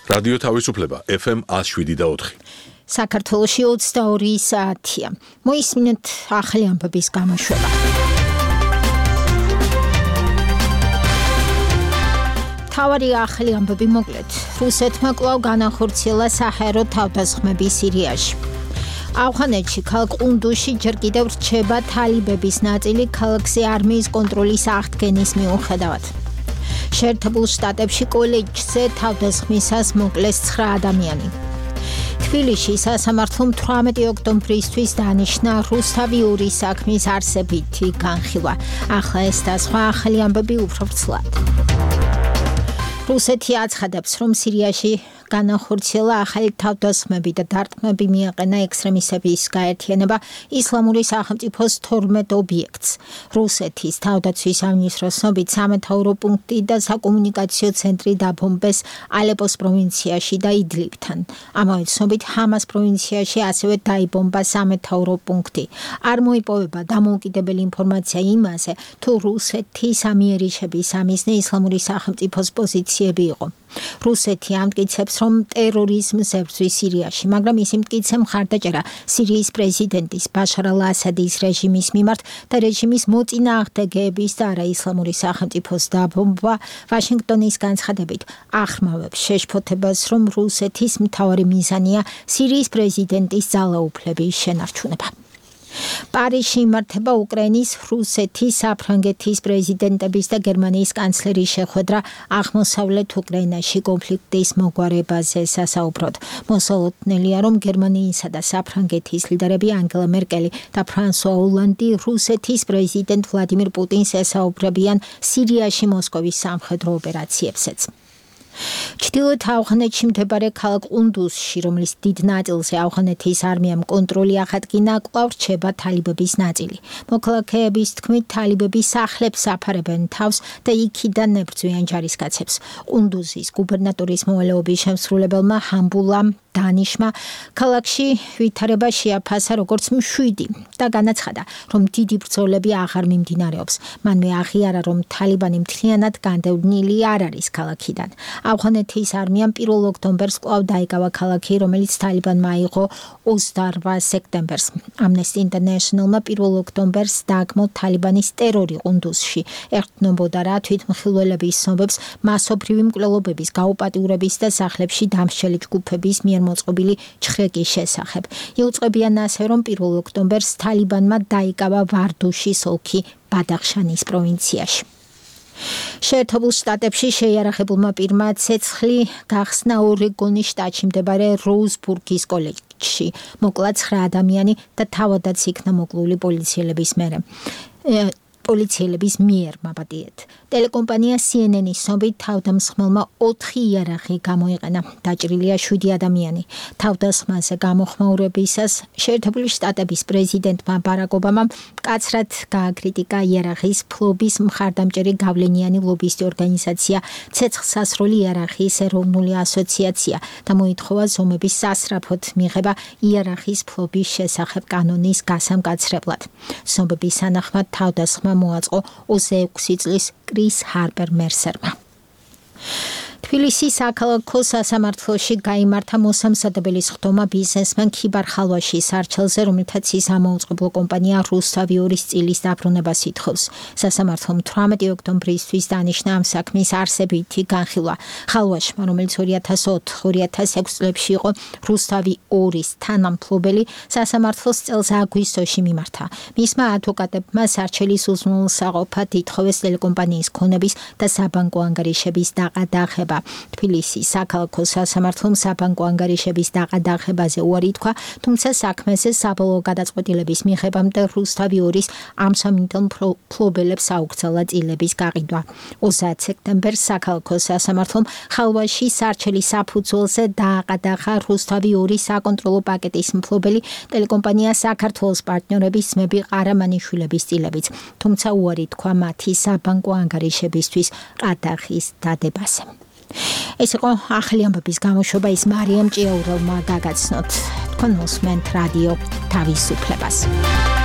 რადიო თავისუფლება FM 107.4. საქართველოში 22 საათია. მოისმინეთ ახალი ამბების გამოშვება. თავარი ახალი ამბები მოკლედ. რუსეთმა კვლავ განახორციელა საჰაერო თავდასხმები სირიაში. ავღანეთში ქალაქ ყუნდუზში ჯერ კიდევ რჩება თალიბების ნაწილი ქალაქზე არმიის კონტროლის აღდგენის მიუხედავად. შეერთებულ შტატებში კოლეჯზე თავდასხმისას მოკლეს 9 ადამიანი. თბილისში სასამართლომ 18 ოქტომბრისთვის დანიშნა რუსთავიური საქმის არსებითი განხილვა. ახლა ეს და სხვა ახალი ამბები უფრო ვრცლად. რუსეთი აცხადებს, რომ სირიაში განახორციელა ახალი თავდასხმები და დარტყმები მიაყენა ექსტრემისტების გაერთიანება ისლამური სახელმწიფოს 12 ობიექტს. რუსეთის თავდაცვის სამინისტროს ცნობით სამეთაურო პუნქტი და საკომუნიკაციო ცენტრი დაბომბეს ალეპოს პროვინციაში და იდლიბთან. ამავე ცნობით ჰამას პროვინციაში ასევე დაიბომბა სამეთაურო პუნქტი. არ მოიპოვება დამოუკიდებელი ინფორმაცია იმაზე, თუ რუსეთის ამიერიშების სამიზნე ისლამური სახელმწიფოს პოზიციები იყო. რუსეთი ამტკიცებს, რომ ტერორიზმს ებრძვის სირიაში, მაგრამ ის იმტკიცე მხარდაჭერა სირიის პრეზიდენტის ბაშარ ალ-ასადის რეჟიმის მიმართ და რეჟიმის მოწინააღმდეგეების და არა ისლამური სახელმწიფოს დაბომბვა ვაშინგტონის განცხადებით ახმავებს შეშფოთებას, რომ რუსეთის მთავარი მიზანია სირიის პრეზიდენტის ძალაუფლების შენარჩუნება. პარიზში იმართება უკრაინის, რუსეთის, საფრანგეთის პრეზიდენტების და გერმანიის კანცლერის შეხვედრა აღმოსავლეთ უკრაინაში კონფლიქტის მოგვარებაზე სასაუბროდ. მოსალოდნელია, რომ გერმანიისა და საფრანგეთის ლიდერები ანგელა მერკელი და ფრანსუა ოლანდი რუსეთის პრეზიდენტ ვლადიმირ პუტინს ესაუბრებიან სირიაში მოსკოვის სამხედრო ოპერაციებზეც. ჩრდილოეთ ავღანეთში მდებარე ქალაქ ყუნდუზში, რომლის დიდ ნაწილზე ავღანეთის არმიამ კონტროლი აღადგინა, კვლავ რჩება თალიბების ნაწილი. მოქალაქეების თქმით, თალიბები სახლებს აფარებენ თავს და იქიდან ებრძვიან ჯარისკაცებს. ყუნდუზის გუბერნატორის მოვალეობის შემსრულებელმა ჰამბულა დანიშმა ქალაქში ვითარება შეაფასა როგორც მშვიდი და განაცხადა, რომ დიდი ბრძოლები აღარ მიმდინარეობს. მანვე აღიარა, რომ თალიბანი მთლიანად განდევნილი არ არის ქალაქიდან. ავღანეთის არმიამ 1 ოქტომბერს კვლავ დაიკავა ქალაქი, რომელიც თალიბანმა აიღო 28 სექტემბერს. Amnesty International-მა 1 ოქტომბერს დააგმო თალიბანის ტერორი ყუნდუზში. ეყრდნობოდა რა თვითმხილველების ცნობებს მასობრივი მკვლელობების, გაუპატიურების და სახლებში დამსჯელი ჯგუფების მიერ მოწყობილი ჩხრეკის შესახებ. იუწყებიან ასევე, რომ 1 ოქტომბერს თალიბანმა დაიკავა ვარდუშის ოლქი ბადახშანის პროვინციაში. შეერთებულ შტატებში შეიარაღებულმა პირმა ცეცხლი გახსნა ორეგონის შტატში მდებარე როუზბურგის კოლეჯში. მოკლა 9 ადამიანი და თავადაც იქნა მოკლული პოლიციელების მიერ მაბადიეთ. ტელეკომპანია CNN-ის ცნობით თავდამსხმელმა 4 იარაღი გამოიყენა. დაჭრილია 7 ადამიანი. თავდასხმაზე გამოხმაურებისას შეერთებული შტატების პრეზიდენტმა ბარაკ ობამამ მკაცრად გააკრიტიკა იარაღის ფლობის მხარდამჭერი გავლენიანი ლობისტი ორგანიზაცია ცეცხლსასროლი იარაღის ეროვნული ასოციაცია და მოითხოვა ზომების სასწრაფოდ მიღება იარაღის ფლობის შესახებ კანონის გასამკაცრებლად. ცნობების თანახმად თავდასხმა მოაწყო 26 წლის კრის ჰარპერ მერსერმა. თბილისის საქალაქო სასამართლოში გაიმართა მოსამზადებელი სხდომა ბიზნესმენ ქიბარ ხალვაშის არჩელზე, რომელთაც ის ამოუწყებლო კომპანია რუსთავიორის წილის დაბრუნებას ითხოვს. სასამართლომ 18 ოქტომბრისთვის დანიშნა ამ საქმის არსებითი განხილვა. ხალვაშმა, რომელიც 2004-2006 წლებში იყო რუსთავი 2-ის თანამფლობელი, სასამართლოს წელს აგვისტოში მიმართა. მისმა ადვოკატებმა სარჩელის უზრუნველსაყოფად ითხოვეს ტელეკომპანიის ქონების და საბანკო ანგარიშების დაყადაღება. თბილისის საქალაქო სასამართლომ საბანკო ანგარიშების დაყადაღებაზე უარი თქვა, თუმცა საქმეზე საბოლოო გადაწყვეტილების მიღებამდე რუსთავი 2-ის ამ სამინდელ მფლობელებს აუგრძელა წილების გაყიდვა. 30 სექტემბერს საქალაქო სასამართლომ ხალვაში სარჩელის საფუძველზე დააყადაღა რუსთავი 2-ის საკონტროლო პაკეტის მფლობელი ტელეკომპანია საქართველოს პარტნიორების ძმები ყარამანიშვილების წილებიც, თუმცა უარი თქვა მათი საბანკო ანგარიშებისთვის ყადაღის დადებაზე. ეს იყო ახალი ამბების გამოშვება, ის მარიამ ჭიაურელმა გაგაცნოთ. თქვენ მოსმენთ რადიო თავისუფლებას.